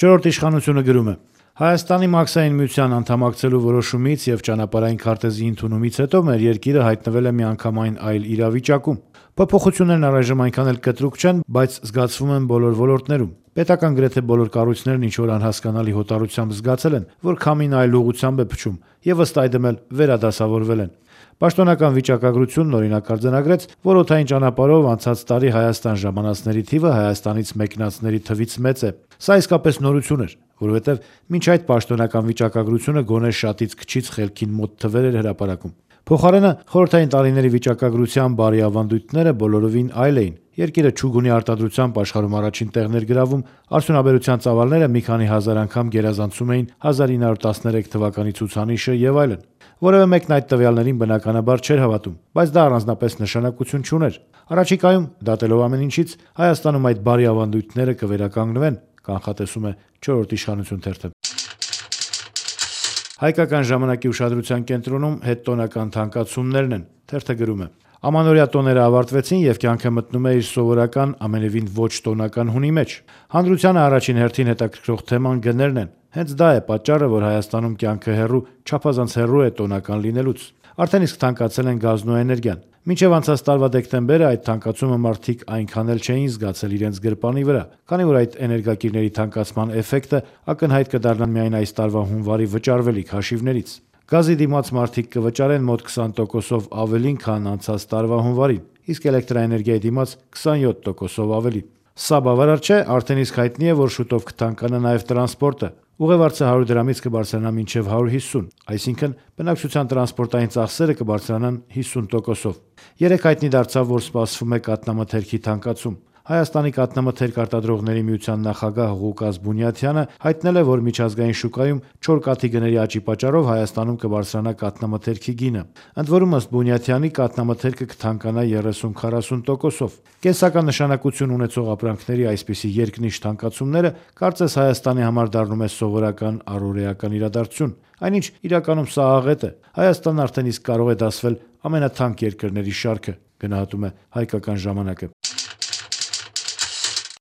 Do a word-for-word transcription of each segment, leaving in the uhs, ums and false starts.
Չորրորդ իշխանությունը գրում է. Հայաստանի Մաքսային միության անդամակցելու որոշումից եւ ճանապարհային քարտեզի ընդունումից հետո մեր երկիրը հայտնվել է միանգամայն այլ իրավիճակում։ Փոփոխություններն առայժմ այնքան էլ կտրուկ չեն, բայց զգացվում են բոլոր ոլորտներում։ Պետական գրեթե բոլոր կառույցներն ինչ որ անհասկանալի հոտառությամբ զգացել են, որ քամին այլ ուղղությամբ է փչում եւ ըստ այդմ էլ վերադասավորվել են։ Պաշտոնական վիճակագրությունն օրինակ արձանագրեց, որ օդային ճանապարհով անցած տարի Հայաստան ժամանածների թիվը Հայաստանից մեկնածների թվից մեծ է։ Սա իսկապես նորություն էր, որովհետև մինչ այդ պաշտոնական վիճակագրությունը գոնե շատից քչից խելքին մոտ թվեր էր հրապարակում։ Փոխարենը խորհրդային տարիների վիճակագրության բարի ավանդույթները բոլորովին այլ էին։ Երկիրը չուգունի արտադրությամբ աշխարհում առաջին տեղն էր գրավում, արդյունաբերության ծավալները մի քանի հազար անգամ գերազանցում էին հազար ինը հարյուր տասներեք թվականի ցուցանիշը եւ այլն։ Որևէ մեկն այդ տվյալներին բնականաբար չէր հավատում, բայց դա առանձնապես նշանակություն չուներ։ Առաջիկայում, դատելով ամեն ինչից, Հայաստանում այդ բարի ավանդույթները կվերականգնվեն, կանխատեսում է չորրորդ իշխանություն թերթը։ Հայկական ժամանակի ուշադրության կենտրոնում հետտոնական թանկացումներն են, թերթը գրում է. Ամանորյա տոները ավարտվեցին եւ կյանքը մտնում է իր սովորական ամենևին ոչ տոնական հունի մեջ։ Հանրությանը առաջին հերթին հետաքրքրող թեման գներն են։ Հենց դա է պատճառը, որ Հայաստանում կյանքը հեռու, չափազանց հեռու է տոնական լինելուց։ Արդեն իսկ թանկացել են գազն ու էներգիան։ Մինչև անցած տարվա դեկտեմբերը այդ թանկացումը մարդիկ այնքան էլ չէին զգացել իրենց գրպանի վրա, քանի որ այդ էներգակիրների թանկացման էֆեկտը ակնհայտ կդառնա միայն այս տարվա հունվարի վճարվելիք հաշիվներից։ Գազի դիմաց մարդիկ կվճարեն մոտ քսան տոկոսով ավելին, քան անցած տարվա հունվարին, իսկ էլեկտրաէներգիայի դիմաց քսանյոթ տոկոսով ավելի։ Սա բավարար չէ, արդեն իսկ հայտնի է, որ շուտով կթանկանա նաև տրանսպորտը։ Ուղևորցը հարյուր դրամից կբարձրանա մինչև հարյուր հիսուն, այսինքն բնակչության տրանսպորտային ծախսերը կբարձրանան հիսուն տոկոսով։ Երեկ հայտնի դարձավ, որ սպասվում է կաթնամթերքի թանկացում։ Հայաստանի կաթնամթերք արտադրողների միության նախագահ Ղուկաս Բունյաթյանը հայտնել է, որ միջազգային շուկայում չոր կաթի գների աճի պատճառով Հայաստանում կբարձրանա կաթնամթերքի գինը։ Ընդ որում, ըստ Բունյաթյանի, կաթնամթերքը կթանկանա երեսուն քառասուն տոկոսով։ Կենսական նշանակություն ունեցող ապրանքների այսպիսի երկնիշ թանկացումները կարծես Հայաստանի համար դառնում է սովորական առօրեական իրադարձություն, այնինչ իրականում սա աղետ է։ Հայաստանն արդեն իսկ կարող է դասվել ամենաթանկ երկրների շարքը, գնահատում է Հայկական ժամանակը։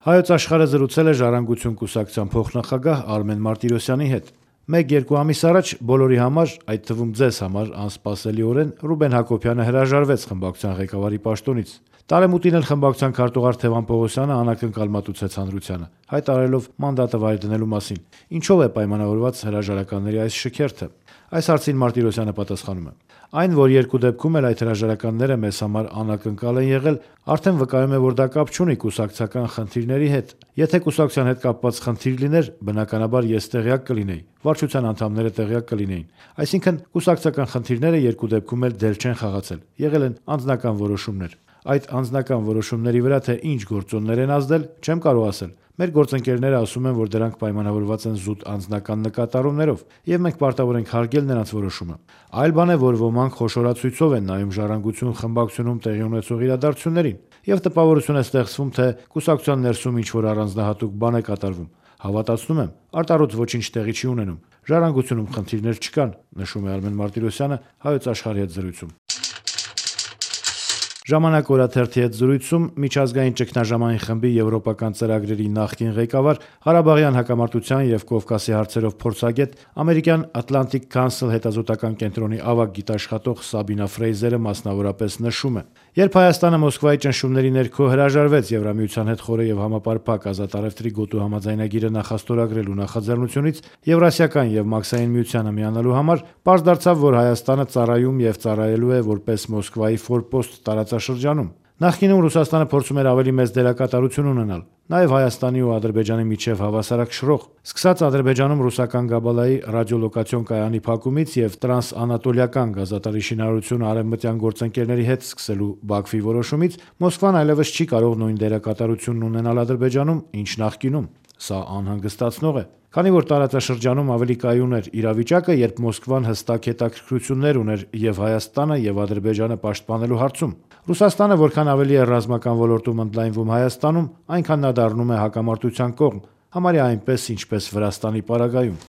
Հայոց աշխարհը զրուցել է Ժառանգություն կուսակցության փոխնախագահ Արմեն Մարտիրոսյանի հետ։ Մեկ-երկու ամիս առաջ բոլորի համար, այդ թվում ձեզ համար անսպասելիորեն Ռուբեն Հակոբյանը հրաժարվեց խմբակցության ղեկավարի պաշտոնից։ Տարեմուտին էլ խմբակցության քարտուղար Թևան Պողոսյանը անակնկալ մատուցեց հանրությանը, հայտարարելով մանդատը վայր դնելու մասին։ Ինչով է պայմանավորված հրաժարականների այս շքերթը։ Այս հարցին Մարտիրոսյանը պատասխանում է. Այն, որ երկու դեպքում էլ այդ հրաժարականները մեզ համար անակնկալ են եղել, արդեն վկայում է, որ դա կապ չունի կուսակցական խնդիրների հետ։ Եթե կուսակցության հետ կապված խնդիր լիներ, բնականաբար ես տեղյակ կլինեի, վարչության անդամները տեղյակ կլինեին։ Այսինքն կուսակցական խնդիրները երկու դեպքում էլ դել չեն խաղացել, եղել են անձնական որոշումներ։ Այդ անձնական որոշումների վրա թե ինչ գործոններ են ազդել, չեմ կարող ասել։ Մեր գործընկերները ասում են, որ դրանք պայմանավորված են զուտ անձնական նկատառումներով, եւ մենք պարտավոր ենք հարգել նրանց որոշումը։ Այլ բան է, որ ոմանք խոշորացույցով են նայում Ժառանգություն խմբակցությունում տեղի ունեցող իրադարձություններին, եւ տպավորություն է ստեղծվում, թե կուսակցության ներսում ինչ-որ առանձնահատուկ բան է կատարվում։ Հավատացնում եմ, արտառոց ոչինչ տեղի չի ունենում։ Ժառանգությունում խնդիրներ չկան, նշում է Արմեն Մարտիրոսյանը Հայոց աշխարհի հետ զրույցում։ Ժամանակ օրաթերթի հետ զրույցում միջազգային ճգնաժամային խմբի եվրոպական ծրագրերի նախկին ղեկավար, Ղարաբաղյան հակամարտության եւ Կովկասի հարցերով փորձագետ, ամերիկյան Atlantic Council հետազոտական կենտրոնի ավագ գիտաշխատող Սաբինա Ֆրեյզերը մասնավորապես նշում է. Երբ Հայաստանը Մոսկվայի ճնշումների ներքո հրաժարվեց Եվրամիության հետ խորը եւ համապարփակ ազատ առևտրի գոտու համաձայնագիրը նախաստորագրելու նախաձեռնությունից Եվրասիական եւ Մաքսային միությանը միանալու համար, պարզ դարձավ, որ Հայաստանը ծառայում եւ ծառայելու է որպես Մոսկվայի ֆորպոստ տարածաշրջանում։ Նախկինում Ռուսաստանը փորձում էր ավելի մեծ դերակատարություն ունենալ, նաև Հայաստանի ու Ադրբեջանի միջև հավասարակշռող։ Սկսած Ադրբեջանում ռուսական Գաբալայի ռադիոլոկացիոն կայանի փակումից եւ տրանսանատոլիական գազատարի շինարարությունը արևմտյան գործընկերների հետ սկսելու Բաքվի որոշումից, Մոսկվան այլևս չի կարող նույն դերակատարությունն ունենալ Ադրբեջանում, ինչ նախկինում։ Սա անհանգստացնող է, քանի որ տարածաշրջանում ավելի կայուն էր իրավիճակը, երբ Մոսկվան հստակ հետաքրքրություններ ուներ եւ Հայաստանը եւ Ադրբեջանը պաշտպանելու հարցում։ Ռուսաստանը որքան ավելի է ռազմական ոլորտում ընդլայնվում Հայաստանում, այնքան նա դառնում է հակամարտության կողմ, համարյա այնպես, ինչպես Վրաստանի պարագայում։